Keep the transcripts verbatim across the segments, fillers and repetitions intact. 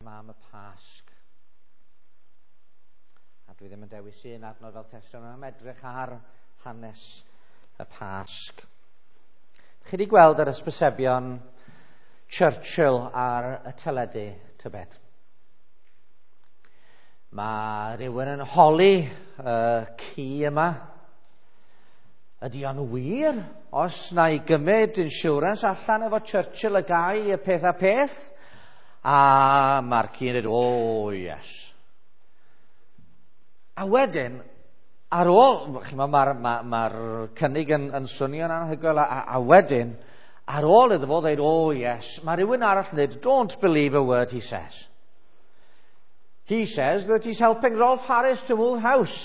yma am y Pasg. A dwi ddim yn dewis un adnod fel testun, ond am edrych ar hanes y Pasg. Chi wedi gweld yr ysbysebion Churchill ar y teledu, tybed? Mae rhywun yn holi y ci yma. Ydy o'n wir? Os na i gymryd insurance allan efo Churchill y gai y peth a peth? A mae'r ci'n dweud, oh yes. A wedyn, ar ôl, mae'r ma, ma, ma cynnig yn, yn swnio'n anhygoel, a, a wedyn, ar ôl iddo fo dweud, oh yes, mae rhywun arall yn dweud, don't believe a word he says. He says that he's helping Rolf Harris to move house.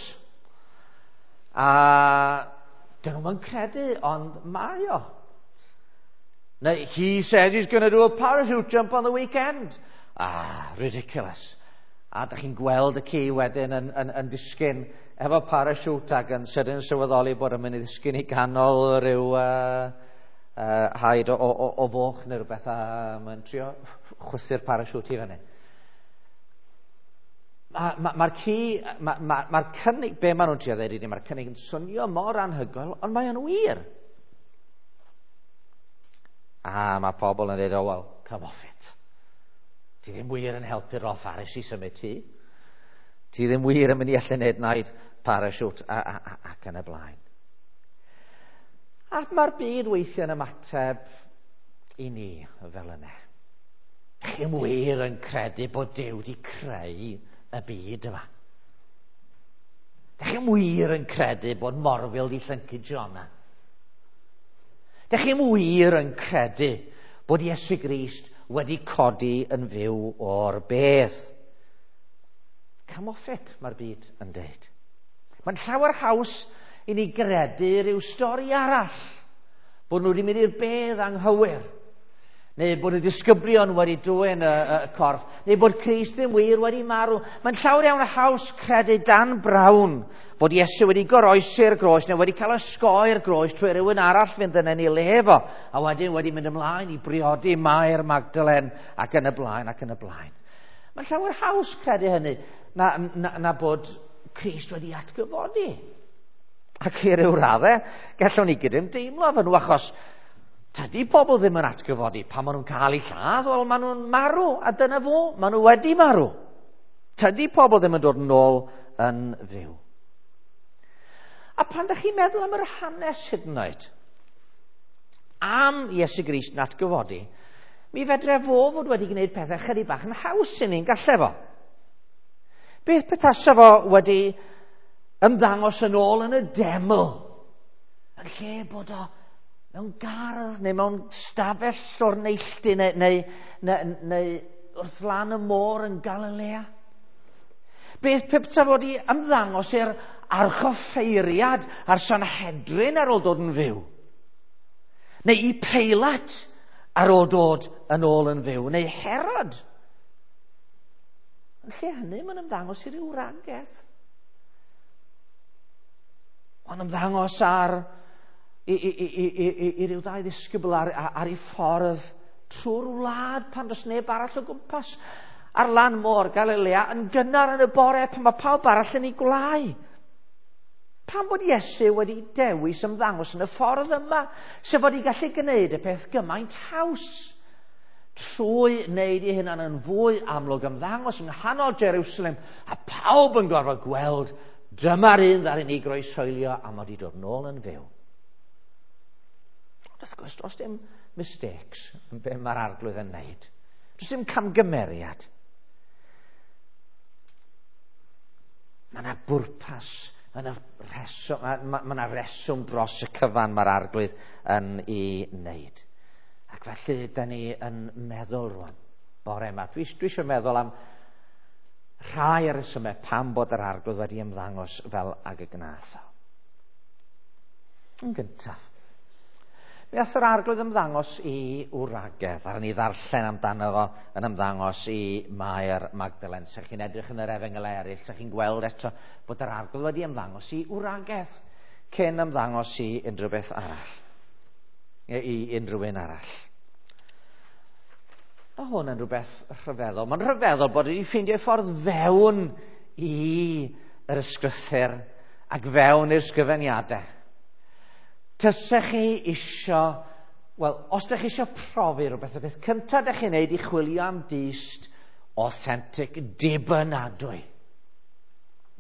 A dyn nhw'n credu, ond mae o. Neu, he says he's going to do a parachute jump on the weekend. Ah, ridiculous. A dych chi'n gweld y ci wedyn yn, yn, yn disgyn efo parachute ac yn sydyn sylweddoli bod yn mynd i ddisgyn i ganol rhyw uh, uh, haid o, o, o foch neu rhywbeth a mae'n trio chwythu'r parachute i fyny. Mae'r ma, ma ci, mae'r ma, ma cynnig, be maen nhw'n trio dweud i ni, mae'r cynnig yn swnio mor anhygoel, ond mae o'n wir. A mae pobl yn dweud, oh well, come off it. Ti ddim wir yn helpu Rolf Harris i symud ti. Ti ddim wir yn mynd i allu wneud naid parachute a, a, a, ac yn y blaen. A mae'r byd weithiau yn ymateb i ni fel yna. Chi'n wir yn credu bod Duw wedi creu y byd yma. Dych chi'n wir yn credu bod morfil di llyncu Jona. Dych chi'n wir yn credu bod Iesu Grist wedi codi yn fyw o'r bedd. Come off it, mae'r byd yn dweud. Mae'n llawer haws i ni gredu rhyw stori arall. Bod nhw wedi mynd i'r bedd anghywir. Neu bod y disgyblion wedi dwyn y, y corff. Neu bod Crist ddim wir wedi marw. Mae'n llawer iawn haws credu Dan Brown bod Iesu wedi goroesi'r groes neu wedi cael osgoi'r groes trwy rhywun arall fynd yn ei le fo. A wedyn wedi mynd ymlaen i briodi Mair Magdalen ac yn y blaen ac yn y blaen. Mae'n llawer haws credu hynny na, na, na bod Crist wedi atgyfodi. Ac i ryw raddau, gallwn ni gydymdeimlo efo nhw achos tydi pobl ddim yn atgyfodi. Pan maen nhw'n cael eu lladd, wel, maen nhw'n marw, a dyna fo, maen nhw wedi marw. Tydi pobl ddim yn dod yn ôl yn fyw. A pan ydych chi'n meddwl am yr hanes hyd yn oed, am Iesu Grist yn atgyfodi, mi fedre fo fod wedi gwneud pethau chydig bach yn haws i ni'n gallai fo. Beth petasa fo wedi ymddangos yn ôl yn y deml, yn lle bod o mewn gardd neu mewn stafell o'r neilltu neu, neu, neu, neu wrth lan y môr yn Galilea. Beth peta fod i ymddangos i'r archoffeiriad a'r Sanhedrin ar ôl dod yn fyw. Neu i Peilat ar ôl dod yn ôl yn fyw. Neu Herod. Yn lle hynny, mae'n ymddangos i ryw wragedd. Mae'n ymddangos ar i, i, i, i, i, i ryw ddau ddisgybl ar, ar, ar ei ffordd trwy'r wlad pan does neb arall o gwmpas. Ar lan môr Galilea yn gynnar yn y bore pan mae pawb arall yn ei gwlau. Pam bod Iesu wedi dewis ymddangos yn y ffordd yma, sef fod i gallu gwneud y peth gymaint haws trwy wneud ei hunan yn fwy amlwg ymddangos yng nghanol Jerusalem a pawb yn gorfod gweld dyma'r un ddaru ni groeshoelio a mod i dod nôl yn fyw. Ond wrth gwrs, does dim mistakes yn be mae'r arglwydd yn wneud. Does dim camgymeriad. Mae yna bwrpas, mae yna reswm, mae, mae yna reswm dros y cyfan mae'r arglwydd yn ei wneud. Ac felly, da ni yn meddwl rwan, bore yma. Dwi, dwi eisiau meddwl am rhai o'r resymau pam bod yr arglwydd wedi ymddangos fel ag y gnath o. Yn gyntaf, mi ath yr arglwydd ymddangos i wragedd, ar ni ddarllen amdano fo yn ymddangos i Mair Magdalen. Sa chi'n edrych yn yr efengylau eraill, sa chi'n gweld eto bod yr arglwydd wedi ymddangos i wragedd cyn ymddangos i unrhyw beth arall, i unrhyw un arall. Mae hwn yn rhywbeth rhyfeddol. Mae'n rhyfeddol bod wedi ffeindio ffordd fewn i yr ysgrythur ac fewn i'r sgrifeniadau. Tysech chi isio, wel, os ydych chi isio profi rhywbeth, y beth cyntaf ydych chi'n neud i chwilio am dyst authentic, dibynadwy.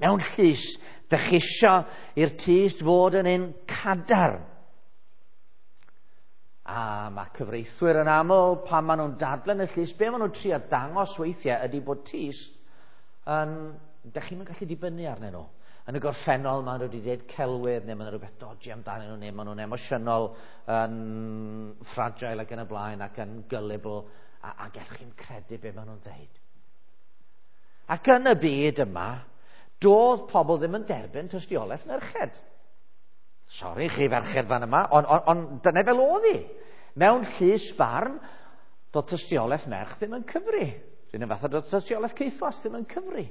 Mewn llys, ydych chi isio i'r tyst fod yn un cadarn. A mae cyfreithwyr yn aml, pan maen nhw'n dadlen y llys, be maen nhw'n trio dangos weithiau ydy bod tyst yn... Dych chi'n gallu dibynnu arnyn nhw. Yn y gorffennol, maen nhw wedi dweud celwydd, neu maen nhw rhywbeth dodgy amdanyn nhw, neu maen nhw'n emosiynol, yn fragile ac yn y blaen, ac yn gullible, a, a gallwch chi'n credu be maen nhw'n dweud. Ac yn y byd yma, doedd pobl ddim yn derbyn tystiolaeth merched. Sori chi ferched fan yma, ond on, on, dyna fel oedd hi. Mewn llys barn, doedd tystiolaeth merch ddim yn cyfri. Rhywun yn fath o doedd tystiolaeth ceithwas ddim yn cyfri.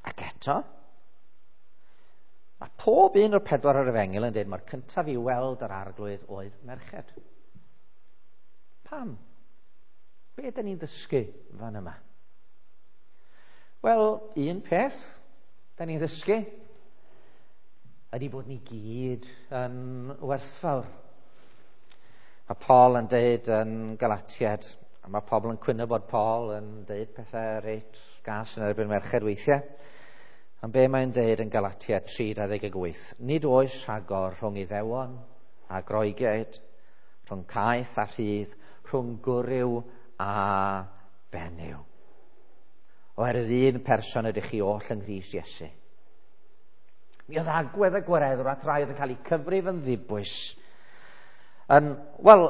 Ac eto, mae pob un o'r pedwar o'r efengyl yn dweud mae'r cyntaf i weld yr arglwydd oedd merched. Pam? Be ydyn ni'n ddysgu fan yma? Wel, un peth da ni'n ddysgu ydy bod ni gyd yn werthfawr. Mae Paul yn deud yn Galatiad, a mae pobl yn cwyno bod Paul yn deud pethau reit gas yn erbyn merched weithiau. Ond be mae'n deud yn Galatiad tri dau ddeg wyth? Nid oes rhagor rhwng Iddewon a Groegiaid, rhwng caeth a rhydd, rhwng gwryw a benyw. Oherwydd un person ydych chi oll yng Nghrist Iesu. Mi oedd agwedd y gwareddwr at rai oedd yn cael eu cyfrif yn ddibwys. Yn, wel,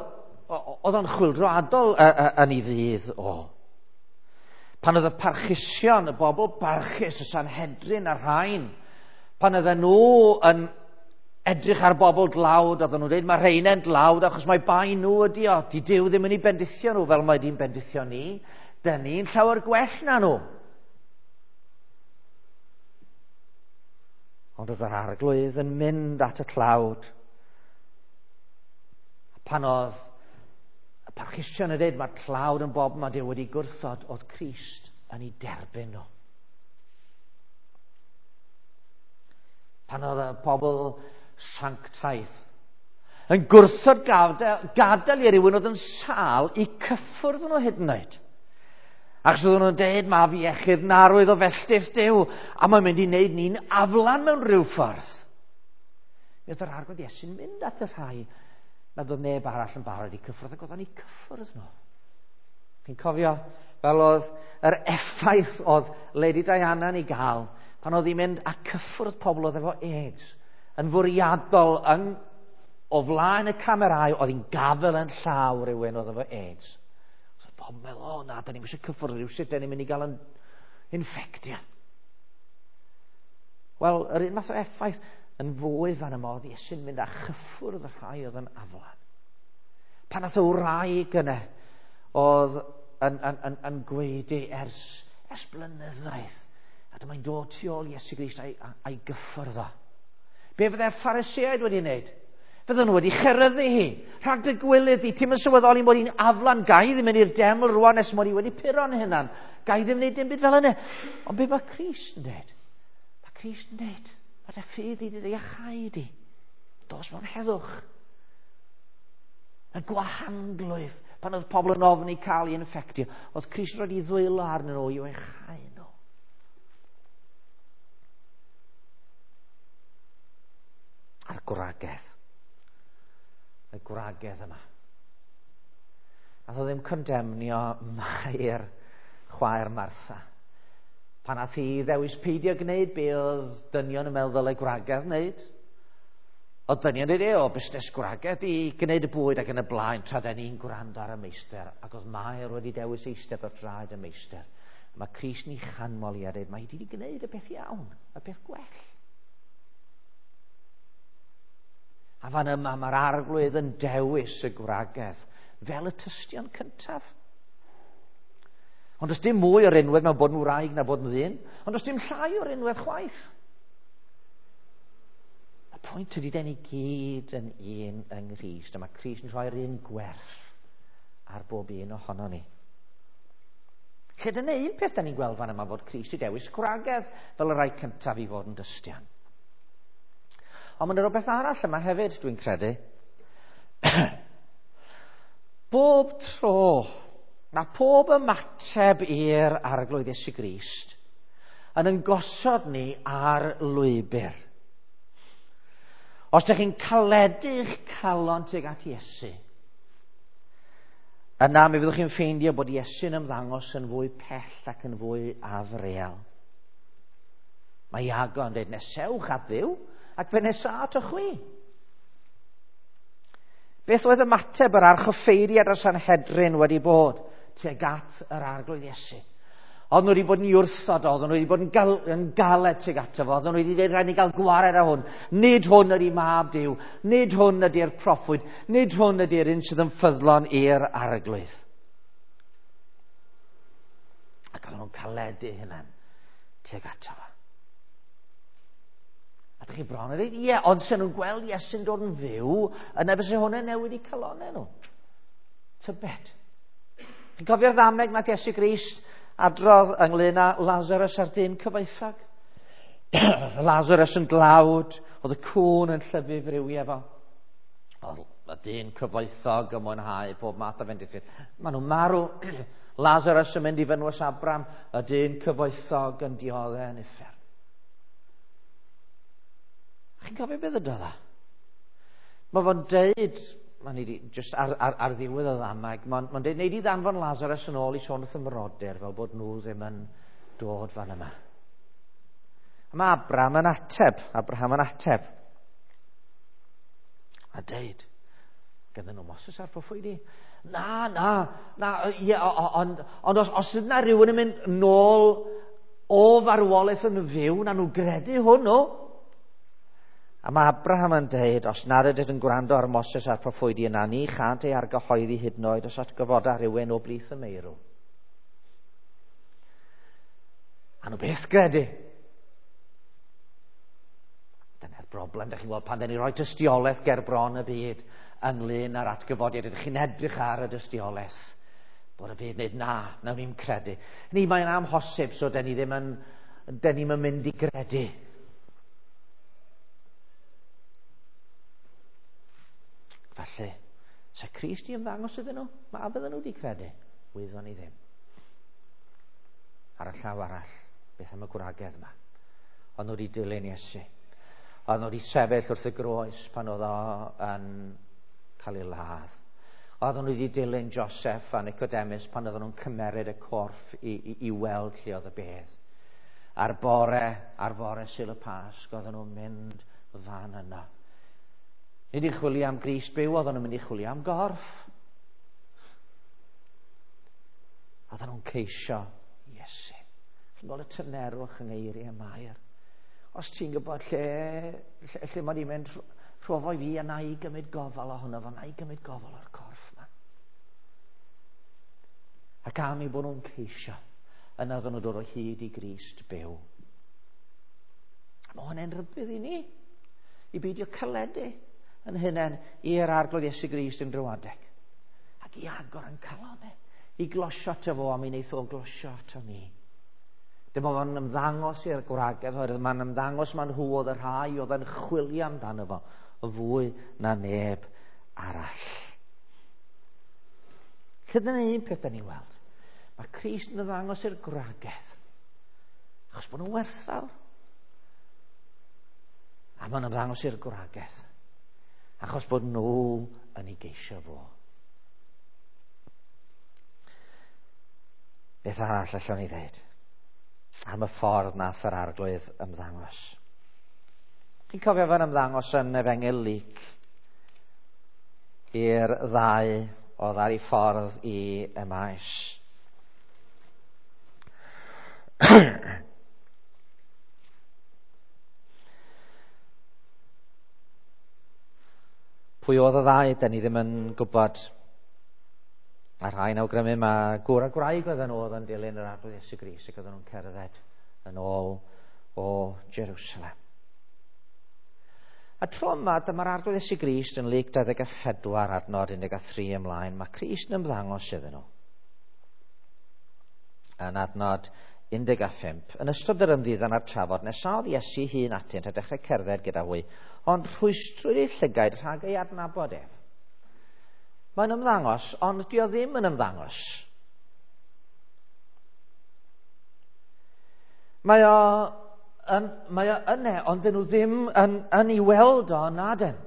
oedd o'n chwyldroadol yn ei ddydd o. Pan oedd y parchusion, y bobl barchus, y Sanhedrin a'r rhain, pan oedden nhw yn edrych ar bobl dlawd, oedden nhw'n dweud mae rheina'n dlawd achos mae bai nhw ydi o. Di Duw ddim yn ei bendithio nhw fel mae di'n bendithio ni. Dyn ni'n llawer gwell na nhw. Ond oedd yr arglwydd yn mynd at y tlawd. Pan oedd y parchusion yn dweud mae'r tlawd yn bob mae Duw wedi gwrthod, oedd Crist yn ei derbyn nhw. Pan oedd y pobl sanctaidd yn gwrthod gadael, gadael i rywun oedd yn sâl i cyffwrdd nhw hyd yn oed. Achos oedden nhw'n dweud, mae fi iechyd narwydd o felltith Duw, a mae'n mynd i wneud ni'n aflan mewn rhyw ffordd. Mi oedd yr arglwydd Iesu'n mynd at y rhai nad oedd neb arall yn barod i cyffwrdd, ac oedd o'n eu cyffwrdd nhw. Chi'n cofio fel oedd yr effaith oedd Lady Diana yn ei gael pan oedd hi'n mynd a cyffwrdd pobl oedd efo AIDS yn fwriadol yn, o flaen y camerâu, oedd hi'n gafel yn llaw rhywun oedd efo AIDS. So pobl meddwl, o na, da ni'n eisiau cyffwrdd rhywsut, da ni'n mynd i gael yn infectio. Wel, yr un math o effaith yn fwy fan yma oedd Iesu'n mynd â chyffwrdd y rhai oedd yn aflan. Pan nath o wraig yna oedd yn, yn, yn, yn gweidi ers, ers blynyddoedd, a dyma'n dod tu ôl Iesu Grist a'i, a'i gyffwrdd o. Be fydde'r Phariseaid wedi wneud? Fydden nhw wedi cheryddu hi. Rhag dy gwilydd di, ti'm yn sylweddoli mod i'n aflan, gai ddim mynd i'r deml rwan nes mod i wedi puro'n hunan. Gai ddim wneud dim byd fel yna. Ond be mae Crist yn dweud? Mae Crist yn dweud, mae dy ffydd i dy iachau di. Dos mewn heddwch. Y gwahanglwyf, pan oedd pobl yn ofni cael ei infectio, oedd Crist roed i ddwylo arnyn nhw i'w iachau nhw. A'r gwragedd. Y gwragedd yma. Nath o ddim condemnio Mair, chwaer Martha. Pan nath hi ddewis peidio gwneud be oedd dynion yn meddwl ddylai gwragedd wneud. Oedd dynion yn dweud, o, busnes gwragedd i gwneud y bwyd ac yn y blaen, tra da ni'n gwrando ar y meistr. Ac oedd Mair wedi dewis eistedd ar draed y meistr. A mae Crist ni chanmol i a dweud, mae hi wedi gwneud y peth iawn, y peth gwell. A fan yma mae'r arglwydd yn dewis y gwragedd fel y tystion cyntaf. Ond does dim mwy o'r rinwedd mewn bod yn wraig na bod yn ddyn, ond does dim llai o'r rinwedd chwaith. Y pwynt ydy, den ni gyd yn un yng Nghrist, a mae Crist yn rhoi'r un gwerth ar bob un ohono ni. Lle dyna un peth da ni'n gweld fan yma, fod Crist i dewis gwragedd fel y rhai cyntaf i fod yn dystion. Ond mae'n rhywbeth arall yma hefyd, dwi'n credu. Bob tro, mae pob ymateb i'r Arglwydd Iesu Grist yn yn gosod ni ar lwybr. Os ydych chi'n caledu'ch calon tuag at Iesu, yna mi fyddwch chi'n ffeindio bod Iesu'n ymddangos yn fwy pell ac yn fwy afreal. Mae Iago yn dweud, nesewch at Dduw, ac fe nesa atoch chwi. Beth oedd ymateb yr archoffeiriad a'r Sanhedrin wedi bod tuag at yr Arglwydd Iesu? Oedden nhw wedi bod yn wrthod, oedden nhw wedi bod yn, gal, yn galed tuag ato fo, oedden nhw wedi dweud rhaid ni gael gwared ar hwn. Nid hwn ydy mab Duw, nid hwn ydy'r proffwyd, nid hwn ydy'r un sydd yn ffyddlon i'r Arglwydd. Ac oedden nhw'n caledu hynna'n tuag ato fo. A dych chi bron yn dweud, ie, ond sy'n nhw'n gweld Iesu'n dod yn fyw, yna byse hwnna'n newid i calonau nhw. Tybed. Chi'n cofio'r ddameg nath Iesu Grist adrodd ynglyn â Lazarus a'r dyn cyfoethog? Lazarus yn dlawd, oedd y cŵn yn llyfu friwiau fo. Oedd y dyn cyfoethog yn mwynhau pob math o fendithion. Maen nhw'n marw. Lazarus yn mynd i fynwes Abram, y dyn cyfoethog yn dioddef yn uffern. Chi'n cofio beth ydodd o? Mae fo'n deud, mae'n i just ar, ar, ar ddiwedd y ddameg, mae'n ma deud, neud i ddanfon Lazarus yn ôl i sôn wrth y mrodyr, fel bod nhw ddim yn dod fan yma. A mae Abraham yn ateb, Abraham yn ateb. A deud, gyda nhw Moses a'r proffwydi, na, na, na, ie, ond on, os, os yna rhywun yn mynd nôl o farwolaeth yn fyw, na nhw gredu hwnnw. A mae Abraham yn deud, os nad ydych yn gwrando ar Moses a'r proffwydi yna, ni chant ei argyhoeddi hyd yn oed os atgyfoda rhywun o blith y meirw. A nhw beth gredu. Dyna'r broblem, dych chi'n gweld, pan dyn ni roi tystiolaeth ger bron y byd ynglyn â'r atgyfodiad, ydych chi'n edrych ar y dystiolaeth, bod y byd yn dweud, na, nawn ni'm credu. Ni, mae'n amhosib, so dyn ni ddim yn, dyn ni'm yn mynd i gredu. Felly, se Crist i ymddangos iddyn nhw, mae a fydden nhw wedi credu? Wyddon ni ddim. Ar y llaw arall, beth am y gwragedd yma? Oedd nhw wedi dilyn Iesu. Oedd nhw wedi sefyll wrth y groes pan oedd o yn cael ei ladd. Oedd nhw wedi dilyn Joseph a Nicodemus pan oedden nhw'n cymeryd y corff i, i, i weld lle oedd y bedd. A'r bore, ar fore Sul y Pasg, oedden nhw'n mynd fan yno. Nid i chwilio am Grist byw, oedden nhw'n mynd i chwilio am gorff. Oedden nhw'n ceisio Iesu. Chi'n gweld y tynerwch yng ngeiriau Mair. Os ti'n gwybod lle, lle, lle mae di mynd, rhofo i fi a na i gymryd gofal ohono fo, na i gymryd gofal o'r corff yma. Ac am eu bod nhw'n ceisio, yna oedden nhw'n dod o hyd i Grist byw. A mae hwnna'n rhybudd i ni, i beidio caledu yn hunain i'r Arglwydd Iesu Grist yn drwyadeg. Ac i agor yn calonau, i glosio ato fo, a mi wneith o glosio ato ni. Dyma fo'n ymddangos i'r gwragedd, oherwydd mae'n ymddangos ma'n nhw oedd y rhai oedd yn chwilio amdano fo, fwy na neb arall. Lle dyna un peth da ni'n weld. Mae Crist yn ymddangos i'r gwragedd, achos bod nhw'n werthfawr. A mae'n ymddangos i'r gwragedd, achos bod nhw yn ei geisio fo. Beth arall allwn ni ddeud am y ffordd nath yr Arglwydd ymddangos? Chi'n cofio fe'n ymddangos yn Efengyl Luc i'r ddau oedd ar ei ffordd i Emmaus. Pwy oedd y ddau, da ni ddim yn gwybod. A rhai'n awgrymu mae gŵr a gwraig oedden nhw oedd yn dilyn yr Arglwydd Iesu Grist ac oedden nhw'n cerdded yn ôl o Jerusalem. A tro yma, dyma'r Arglwydd Iesu Grist yn Luc dau ddeg a phedwar adnod un deg a thri ymlaen. Mae Crist yn ymddangos iddyn nhw. Yn adnod un deg a phump, yn ystod yr ymddiddan a'r trafod, nesaodd Iesu hun atynt a dechrau cerdded gyda hwy, ond rhwystrwyd eu llygaid rhag ei adnabod ef. Mae'n ymddangos, ond dio ddim yn ymddangos. Mae o yn, mae o yne, ond dyn nhw ddim yn, yn ei weld o na dyn.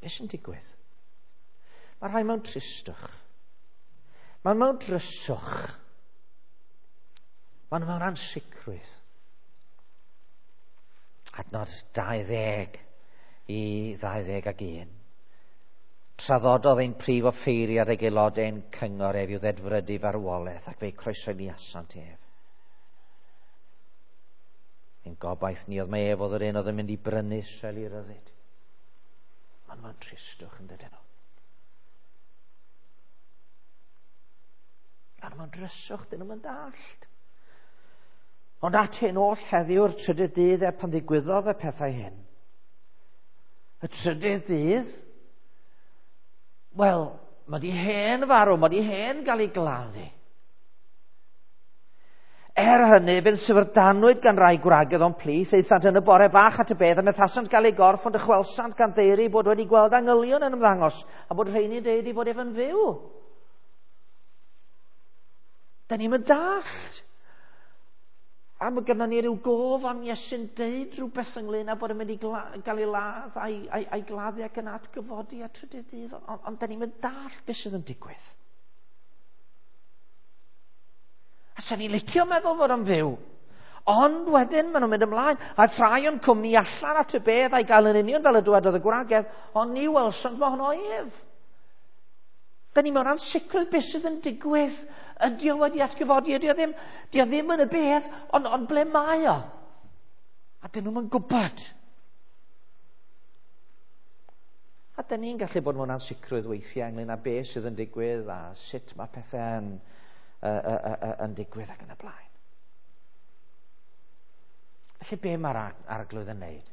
Beth sy'n digwydd? Mae rhai mewn tristwch. Mae mewn dryswch. Mae mewn ansicrwydd. Adnod dau ddeg i ddau ddeg ag un. Traddododd ein prif offeiriad ag aelodau ein cyngor ef i'w ddedfrydu farwolaeth, ac fe'i croeshoeliasant ef. Ein gobaith ni oedd mae ef oedd yr un oedd yn mynd i brynu Israel i ryddid. Mae'n mewn tristwch yn dydyn nhw. Mae'n mewn dryswch, dyn nhw'n dallt. Ond at hyn oll heddiw'r trydydd dydd er pan ddigwyddodd y pethau hyn. Y trydydd dydd? Wel, mae di hen farw, mae di hen gael ei gladdu. Er hynny, fe'n syfrdanwyd gan rai gwragedd o'n plith, aethant yn y bore bach at y bedd, a methasant gael ei gorff, ond dychwelsant gan ddeiri bod wedi gweld angylion yn ymddangos, a bod rheini'n deud ei fod ef yn fyw. Da ni'n mynd dallt. A mae gynnon ni ryw gof am Iesu'n deud rhywbeth ynglyn â bod yn mynd i gla, gael ei ladd a'i, a'i, a'i gladdu ac yn atgyfodi a trydydd dydd, ond, ond da ni'n mynd dallt beth sydd yn digwydd. A sa'n ni'n licio meddwl fod o'n fyw. Ond wedyn maen nhw'n mynd ymlaen, a rhai o'n cwmni allan at y bedd a'i gael yn union fel y dywedodd y gwragedd, ond ni welsant mohono ef. Da ni mewn ansicrwydd beth sydd yn digwydd. Ydy o wedi atgyfodi, ydy o ddim, ydy o ddim yn y bedd, ond, ond ble mae o? A dyn nhw'n gwybod. A dyn ni'n gallu bod mewn ansicrwydd weithiau ynglyn â beth sydd yn digwydd a sut mae pethau yn, uh, uh, uh, yn digwydd ac yn y blaen. Felly be mae'r Arglwydd yn neud?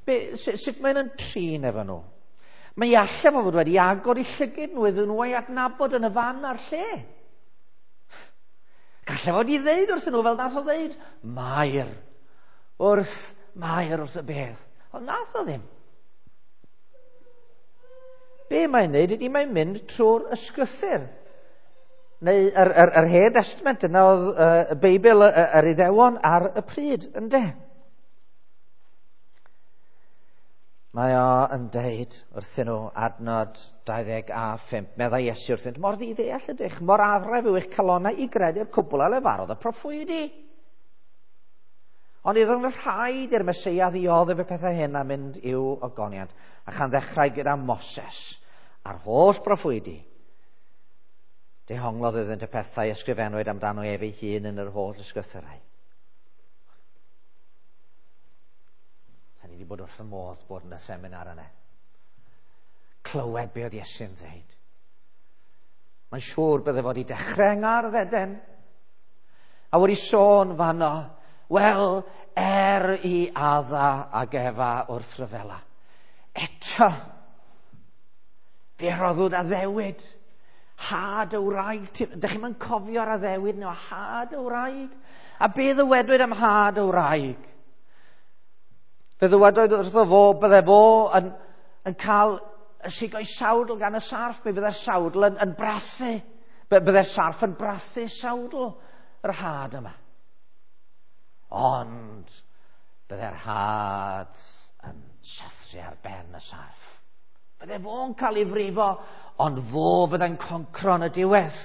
Be, sut, sut mae'n yn trin efo nhw? Mae allan fod wedi agor i llygid nhw iddyn nhw ei adnabod yn y fan a'r lle. Gallai fod i ddeud wrthyn nhw fel nath o ddeud, Mair, wrth Mair wrth y bedd. Ond nath o ddim. Be mae'n neud ydy mae'n mynd trwy'r ysgrythur. Neu yr, yr, yr Hen Testament yna oedd uh, y Beibl yr Iddewon ar y pryd, ynde? Mae o yn deud wrthyn nhw adnod dau ddeg a phump, meddai Iesu wrthynt, mor ddiddeall ydych, mor araf yw eich calonnau i gredu'r cwbl a lefarodd y proffwydi. Ond iddo yn rhaid i'r Meseia ddioddef y pethau hyn a mynd i'w ogoniant, a chan ddechrau gyda Moses a'r holl proffwydi. Dehonglodd iddynt y pethau ysgrifennwyd amdano ef ei hun yn yr holl ysgrythurau. Ni wedi bod wrth y modd bod yn y seminar yna. Clywed be oedd Iesu'n dweud. Mae'n siŵr bydde fod i dechrau yng Ngardd Eden. A wedi sôn fanno, wel, er i Adda ag Efa wrth ryfela. Eto, fe roddwyd addewid. Had y wraig. Dych chi'm yn cofio'r addewid nhw, had y wraig. A be ddywedwyd am had y wraig? Fe ddywedwyd wrtho fo, bydde fo yn, yn cael y sigo'i sawdl gan y sarff, mi bydde'r sawdl yn, yn brathu. Bydde'r sarff yn brathu sawdl yr had yma. Ond bydde'r had yn sathru ar ben y sarff. Bydde fo'n cael ei frifo, ond fo bydde'n concro yn y diwedd.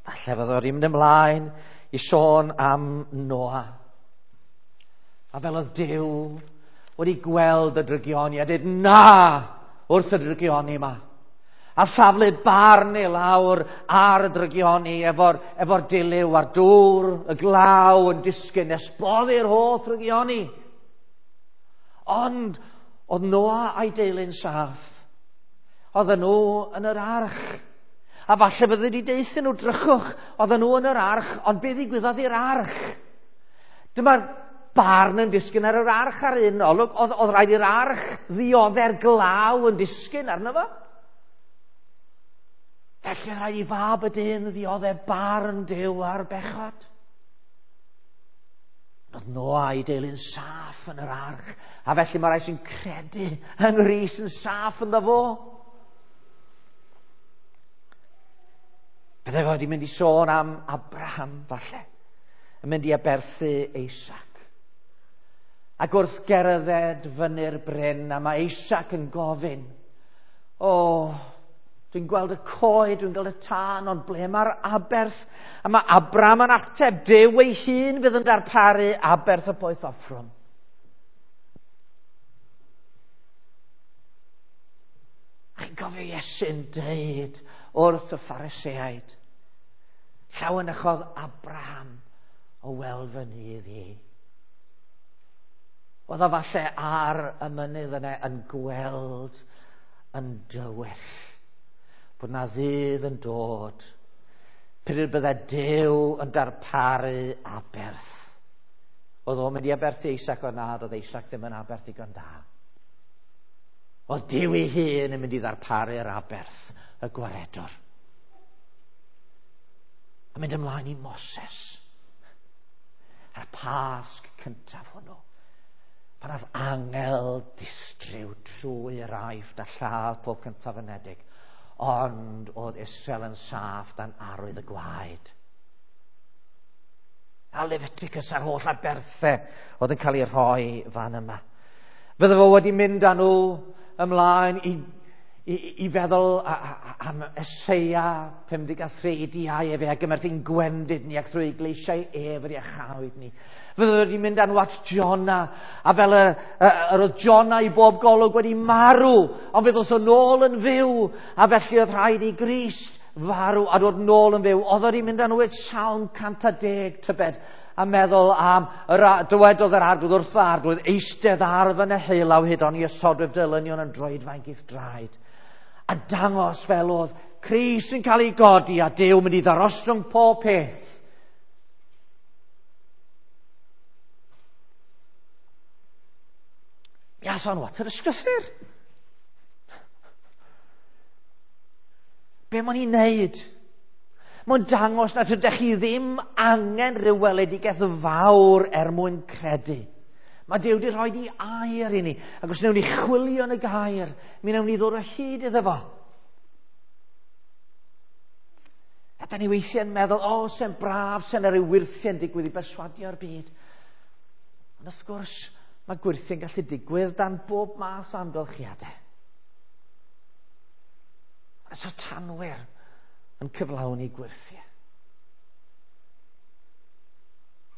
Falle fydde o'n mynd ymlaen i sôn am Noa. A fel oedd Duw wedi gweld y drygioni a dweud na wrth y drygioni yma. A thaflu barn i lawr ar y drygioni efo'r efo dilyw a'r dŵr, y glaw yn disgyn nes boddi'r holl drygioni. Ond oedd Noa a'i deulu'n saff. Oedden nhw yn yr arch. A falle bydde wedi deuthyn nhw, drychwch, oedden nhw yn yr arch, ond be ddigwyddodd i'r arch? Dyma'r barn yn disgyn ar yr arch ar un olwg. Oedd, oedd rhaid i'r arch ddiodde'r glaw yn disgyn arno fo. Felly rhaid i fab y dyn ddiodde barn Duw ar bechod. Oedd Noa a'i deulu'n saff yn yr arch, a felly mae rhai sy'n credu yng Nghrist yn saff ynddo fo. Bydde fo wedi mynd i sôn am Abraham, falle, yn mynd i aberthu Isaac. Ac wrth gerdded fyny'r bryn, a mae Isaac yn gofyn, o, dwi'n gweld y coed, dwi'n gweld y tân, ond ble mae'r aberth? A mae Abraham yn ateb, Duw ei hun fydd yn darparu aberth y poeth offrwm. A chi'n cofio Iesu'n deud wrth y Phariseaid, llawenychodd Abraham o weld fy nydd i. Oedd o falle ar y mynydd yna yn gweld yn dywyll bod na ddydd yn dod pryd bydde Duw yn darparu aberth. Oedd o'n mynd i aberthu Isaac, ond nad oedd Isaac ddim yn aberth digon da. Oedd Duw ei hun yn mynd i ddarparu'r aberth, y gwaredwr. A mynd ymlaen i Moses. A'r Pasg cyntaf hwnnw, pan oedd angel distryw trwy'r Aifft a lladd pob cyntaf anedig, ond oedd Israel yn saff dan arwydd y gwaed. A Leviticus a'r holl aberthau oedd yn cael ei rhoi fan yma. Fydde fo wedi mynd â nhw ymlaen i, i, i feddwl a, a, am Eseia pum deg a thri, diau efe a gymerth ein gwendid ni ac trwy gleisiau ef yr iachawyd ni. Fydde wedi mynd â nhw at Jona, a fel y, y, yr oedd Jona i bob golwg wedi marw, ond fe ddos o nôl yn fyw, a felly oedd rhaid i Grist farw a dod nôl yn fyw. Oedd wedi mynd â nhw at Salm cant a deg tybed, a meddwl am, yr, dywedodd yr arglwydd wrth fy arglwydd, eistedd ar fy neheulaw hyd oni osodwyf dylynion yn droedfainc i'th draed. A dangos fel oedd Crist yn cael ei godi a Duw mynd i ddarostwng pob peth. Mi ath o'n at yr ysgrythur. Be mae'n ei wneud? Mae'n dangos nad ydych chi ddim angen rhyw weledigaeth fawr er mwyn credu. Mae Duw wedi rhoi ei air i ni, ac os wnawn ni chwilio yn y gair, mi wnawn ni ddod o hyd iddo fo. A da ni weithiau'n meddwl, o, oh, se'n braf, se'n rhyw wyrthiau'n digwydd i berswadio'r byd. Ond wrth gwrs, mae gwyrthiau'n gallu digwydd dan bob math o amgylchiadau. Y satanwyr yn cyflawni gwyrthiau.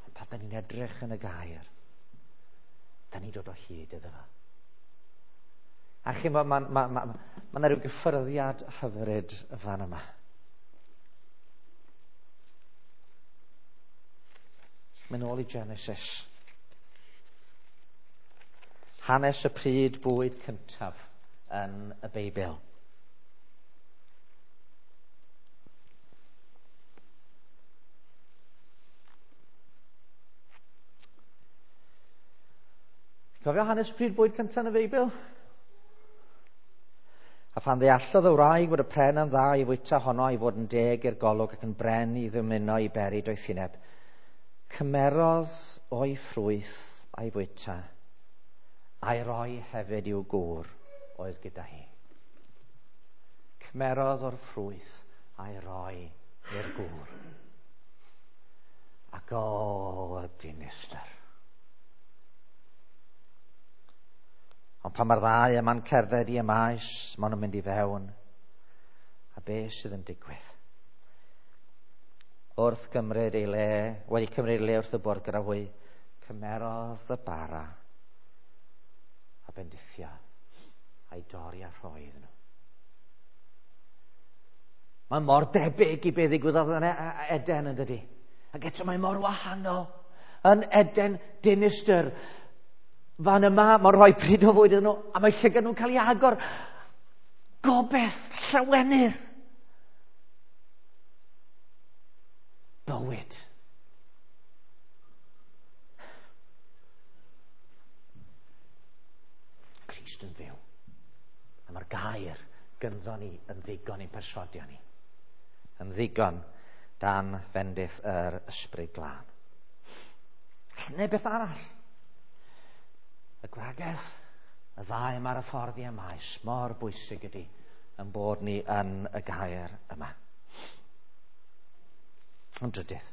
Ond pan da ni'n edrych yn y gair, da ni'n dod o hyd iddo fo. A chi, mae ma, ma, ma, ma 'na rhyw gyffyrddiad hyfryd fan yma. Mynd nôl i Genesis. Hanes y pryd bwyd cyntaf yn y Beibl. Cofio hanes pryd bwyd cyntaf yn y Beibl? A phan ddeallodd y wraig bod y pren yn dda i fwyta honno i fod yn deg i'r golwg ac yn bren i ddymuno i beri doethineb, cymerodd o'i ffrwyth a'i fwyta, a'i roi hefyd i'w gŵr oedd gyda hi. Cymerodd o'r ffrwyth a'i roi i'r gŵr. Ac o, y dinistr. Ond pan mae'r ddau yma'n cerdded i y maes, maen nhw'n mynd i fewn. A be sydd yn digwydd? Wrth gymryd ei le, wedi cymryd ei le wrth y bwrdd gyda hwy, cymerodd y bara a bendithio a'i dorri a rhoi iddyn nhw. Mae mor debyg i be ddigwyddodd yn Eden, yn dydi? Ac eto mae mor wahanol. Yn Eden, dinistr. Fan yma, mae'n rhoi pryd o fwyd iddyn nhw, a mae llygad nhw'n cael ei agor. Gobeith, llawenydd. bywyd. Crist yn fyw. A mae'r gair gynddo ni yn ddigon i'n perswadio ni. Yn ddigon dan fendith yr Ysbryd Glân. Neu beth arall. Y gwragedd, y ddau yma ar y ffordd i Emaus, mor bwysig ydy yn bod ni yn y gair yma. Yn drydydd,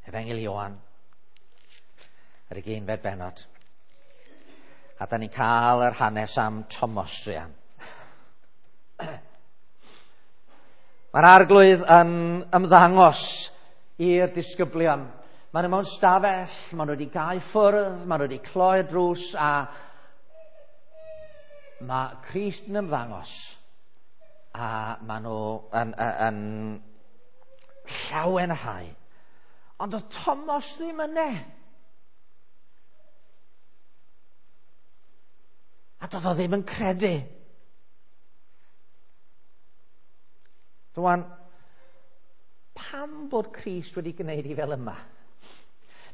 Efengyl Ioan, yr ugeinfed bennod. A da ni'n cael yr hanes am Thomas druan. Mae'r Arglwydd yn ymddangos i'r disgyblion. Maen nhw mewn stafell, maen nhw wedi gau ffwrdd, maen nhw wedi cloi'r drws, a mae Crist yn ymddangos. A maen nhw yn, yn, yn llawenhau. Ond oedd Thomas ddim yna. A doedd o ddim yn credu. Rwan, pam bod Crist wedi gwneud i fel yma?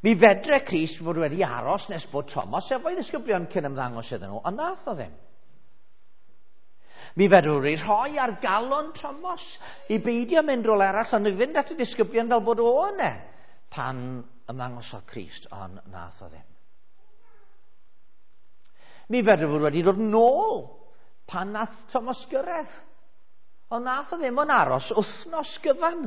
Mi fedre Crist fod wedi aros nes bod Thomas efo'i ddisgyblion cyn ymddangos iddyn nhw, ond nath o ddim. Mi fedrwn ni rhoi ar galon Thomas i beidio mynd rôl arall, ond i fynd at y disgyblion fel bod o yna pan ymddangosodd Crist, ond nath o ddim. Mi fedrwn fod wedi dod nôl pan nath Thomas gyrraedd, ond nath o ddim ond aros wythnos gyfan.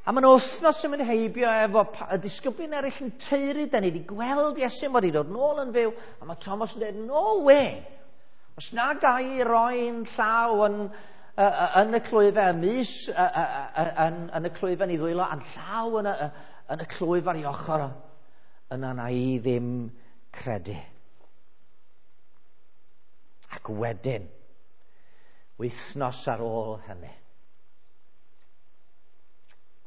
A mae'n wythnos yn mynd heibio efo y disgyblion eraill yn teuru, da ni wedi gweld Iesu wedi dod nôl yn fyw, a mae Thomas yn dweud, no way! Os na ga i roi'n llaw yn, yn y clwyfau, y mys yn, yn y clwyfau yn ei ddwylo, a'n llaw yn y, yn y clwyf ar ei ochr, yna na i ddim credu. Ac wedyn, wythnos ar ôl hynny,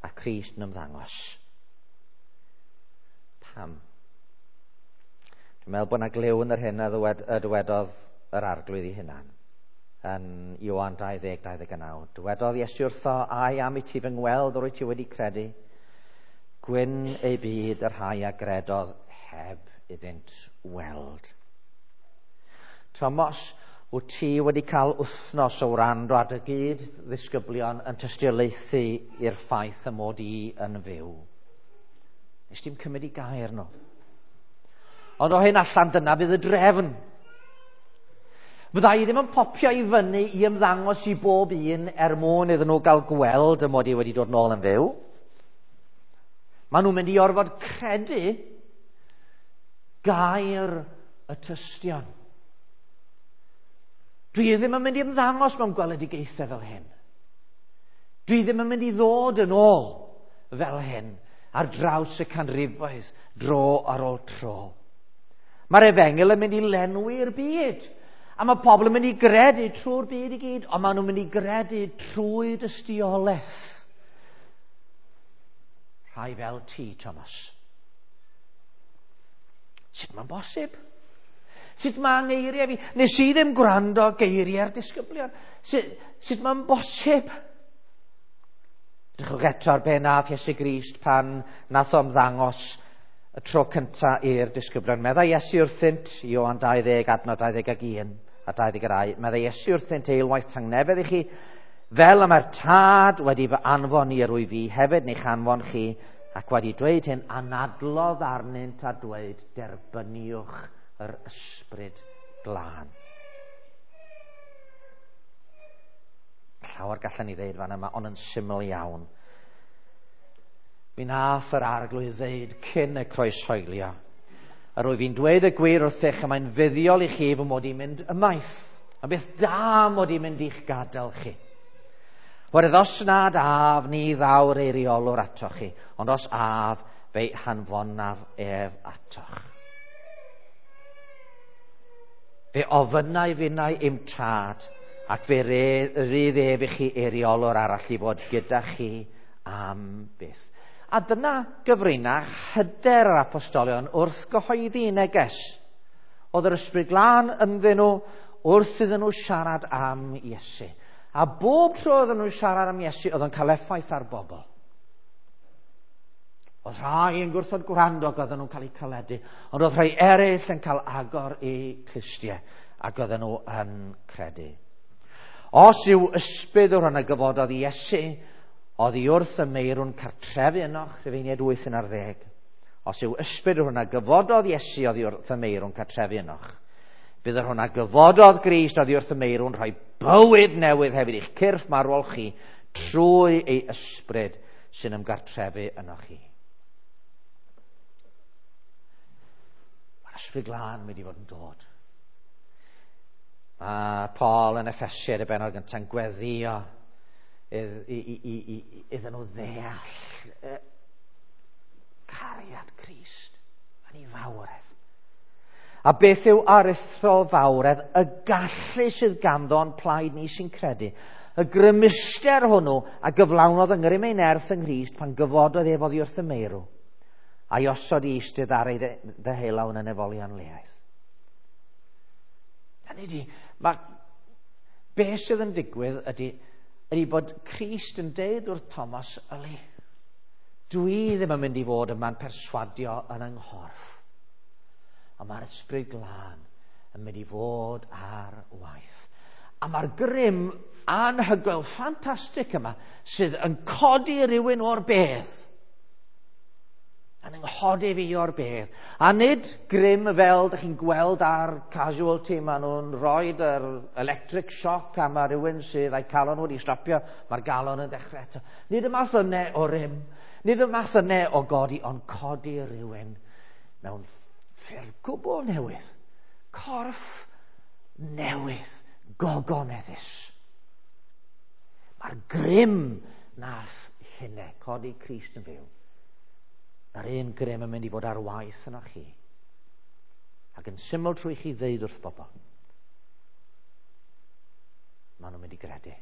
a Crist yn ymddangos. Pam? Dwi'n meddwl bod yna glyw yn yr hyn a ddywed, y dywedodd yr Arglwydd ei hunan yn Ioan dau ddeg dau ddeg naw. Dywedodd Iesu wrtho, ai am i ti fy ngweld yr wyt ti wedi credu? Gwyn ei byd y rhai a gredodd heb iddynt weld. Thomas, wyt ti wedi cael wythnos o wrando ar dy gyd ddisgyblion yn tystiolaethu i'r ffaith y mod i yn fyw. Nes ti'm cymryd i gair nhw. Ond o hyn allan dyna fydd y drefn. Fydda i ddim yn popio i fyny i ymddangos i bob un er mwyn iddyn nhw gael gweld y mod i wedi dod nôl yn fyw. Maen nhw'n mynd i orfod credu gair y tystion. Dwi ddim yn mynd i ymddangos mewn gweledigaethau fel hyn. Dwi ddim yn mynd i ddod yn ôl fel hyn ar draws y canrifoedd dro ar ôl tro. Mae'r efengyl yn mynd i lenwi'r byd. A mae pobl yn mynd i gredu trwy'r byd i gyd, ond maen nhw'n mynd i gredu trwy dystiolaeth. Rhai fel ti, Thomas. Sut mae'n bosib? Sut mae'n ngeiriau fi? Nes i ddim gwrando geiriau'r disgyblion. Sut, sut mae'n bosib? Drychwch eto ar be nath Iesu Grist pan nath o ymddangos y tro cynta i'r disgyblion. Meddai Iesu wrthynt, Ioan dau ddeg, adnod dau ddeg ag un a dau ddeg dau. Meddai Iesu wrthynt, eilwaith tangnefedd i chi, fel y mae'r Tad wedi fy anfon i yr wyf fi, hefyd ni'ch anfon chi, ac wedi dweud hyn, anadlodd arnynt a dweud, derbyniwch yr Ysbryd Glân. Llawer gallan ni ddeud fan yma, ond yn syml iawn. Mi nath yr Arglwydd ddeud cyn y croeshoelio, yr wyf fi'n dweud y gwir wrthych, a mae'n fuddiol i chi fy mod i'n mynd ymaith. A beth da mod i'n mynd i'ch gadael chi. Oherwydd os nad af, ni ddaw'r eiriolwr atoch chi, ond os af, fe'i hanfonaf ef atoch. Fe ofynnai finnau i'm tad, ac fe rydd ef i chi eiriolwr arall i fod gyda chi am byth. A dyna gyfrinach hyder yr apostolion wrth gyhoeddi neges. Oedd yr Ysbryd Glân ynddyn nhw wrth iddyn nhw siarad am Iesu. A bob tro oedden nhw'n siarad am Iesu, oedd o'n cael effaith ar bobl. Oedd rhai yn gwrthod gwrando ac oedden nhw'n cael eu caledu, ond oedd rhai eraill yn cael agor eu clustiau ac oedden nhw yn credu. Os yw ysbryd o'r hwn a gyfododd Iesu, oddi wrth y meirw'n cartrefu ynoch, Rhufeiniaid wyth yn ar ddeg. Os yw ysbryd o'r hwn a gyfododd Iesu oddi wrth y meirw'n cartrefu ynoch, bydd yr hwn a gyfododd Grist oddi wrth y meirw'n rhoi bywyd newydd hefyd i'ch cyrff marwol chi trwy ei ysbryd sy'n ymgartrefu ynoch chi. Mae'r Ysbryd Glân mynd i fod yn dod. Mae Paul yn Effesiaid y bennod gyntaf yn gweddio iddyn nhw ddeall cariad Crist yn ei fawredd. A beth yw aruthrol fawredd? Y gallu sydd ganddo yn plaid ni sy'n credu. Y grymuster hwnnw a gyflawnodd yng ngrym ei nerth yng Nghrist pan gyfododd ef oddi wrth y meirw, a'i osod i eistedd ar ei ddeheulaw yn y nefolion leaidd. Hynny ydi, mae beth sydd yn digwydd ydy, ydy bod Crist yn deud wrth Thomas, yli, dwi ddim yn mynd i fod yma'n perswadio yn yng nghorff, ond mae'r Ysbryd Glân yn mynd i fod ar waith. A mae'r grym anhygoel, ffantastig yma, sydd yn codi rhywun o'r bedd, yn nghodi fi o'r bedd. A nid grym fel dych chi'n gweld ar Casualty, maen nhw'n rhoi yr electric shock a mae rhywun sydd a'i calon wedi stopio, mae'r galon yn dechrau eto. Nid y math yna o rym, nid y math yna o godi, ond codi rhywun mewn ffurf gwbl newydd, corff newydd, gogoneddus. Mae'r grym nath hynny, codi Crist yn fyw, yr un grym yn mynd i fod ar waith yno chi. Ac yn syml trwy chi ddeud wrth bobl, maen nhw'n mynd i gredu.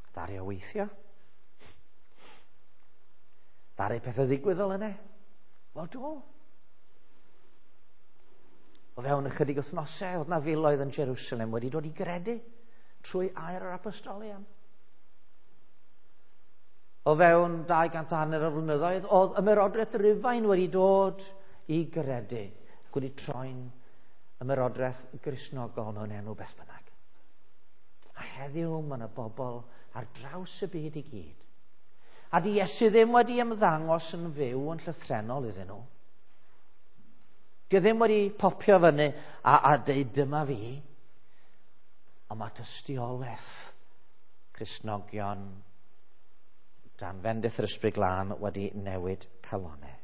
Ddaru o weithio? Ddaru pethau ddigwydd fel yna? Wel, do. O fewn ychydig wythnosau, oedd na filoedd yn Jerusalem wedi dod i gredu trwy air yr apostolion. O fewn dau gant a hanner o flynyddoedd, oedd ymerodraeth Rufain wedi dod i gredu ac wedi troi'n ymerodraeth Gristnogol mewn enw beth bynnag. A heddiw mae yna bobl ar draws y byd i gyd. A di Iesu ddim wedi ymddangos yn fyw yn llythrennol iddyn nhw. Di ddim wedi popio fyny a, a deud dyma fi. Ond mae tystiolaeth Cristnogion dan fendith yr Ysbryd Glân wedi newid calonnau.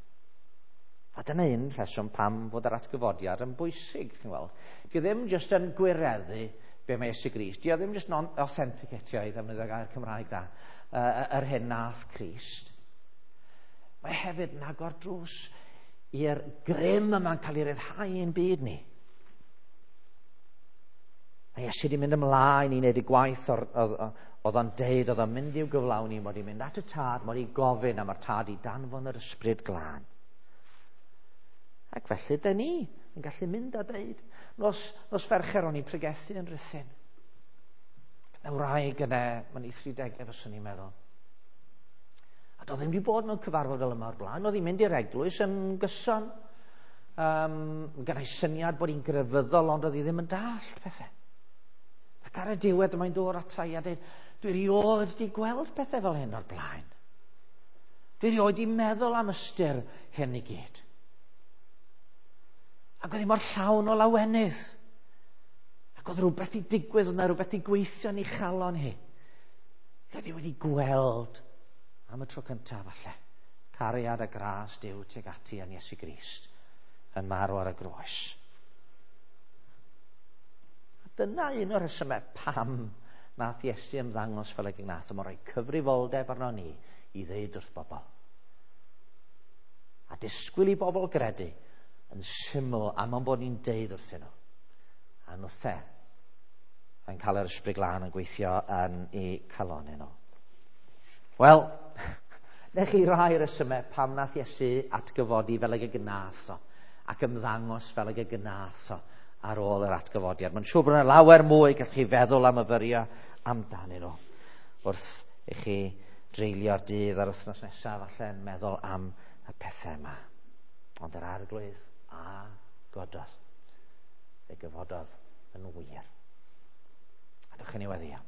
A dyna un rheswm pam fod yr atgyfodiad yn bwysig, chi'n weld. Di ddim jyst yn gwireddu be mae Iesu Grist. Di ddim jyst yn authenticatio, i ddefnyddio gair Cymraeg da, yr hyn nath Crist. Mae hefyd yn agor drws i'r grym yma'n cael ei ryddhau yn byd ni. Mae Iesu wedi mynd ymlaen i wneud y gwaith o'r, oedd o'n deud, oedd o'n mynd i'w gyflawni, mod i'n mynd at y tad, mod i'n gofyn am yr tad i danfon yr Ysbryd Glân. Ac felly, dyn ni yn gallu mynd a deud, nos, nos Fercher o'n i'n pregethu yn Rhuthun. Y wraig yna, mae'n ei thridegau fyswn i'n meddwl. A doedd ddim wedi bod mewn cyfarfod fel yma o'r blaen, oedd hi'n mynd i'r eglwys yn gyson. Um, gyda'i syniad bod hi'n grefyddol, ond oedd hi ddim yn dallt pethau. Ac ar y diwedd mae'n dod ata i a dweud, dwi erioed wedi gweld pethau fel hyn o'r blaen. Dwi erioed wedi meddwl am ystyr hyn i gyd. Ac oedd hi mor llawn o lawenydd. Ac oedd rhywbeth i digwydd, oedd yna rhywbeth i gweithio yn ei chalon hi. Oedd hi wedi gweld am y tro cyntaf falle cariad a gras Duw tuag ati yn Iesu Grist yn marw ar y groes. A dyna un o'r rhesymau pam nath Iesu ymddangos fel y gnath, a mae'n rhoi cyfrifoldeb arno ni i ddeud wrth bobl. A disgwyl i bobl gredu yn syml am o'n bod ni'n deud wrthyn nhw. A nhwthe yn cael yr Ysbryd Glân yn gweithio yn eu calonnau nhw. Wel, nech chi rai resymau pam nath Iesu atgyfodi fel ag y gnath o, ac ymddangos fel ag y gnath o ar ôl yr atgyfodiad. Mae'n siŵr bod yna lawer mwy gallwch chi feddwl am myfyrio amdanyn nhw wrth i chi dreulio'r dydd a'r wythnos nesaf falle'n meddwl am y pethau yma. Ond yr Arglwydd a gododd. Fe gyfododd yn wir. A dewch i ni weddïo.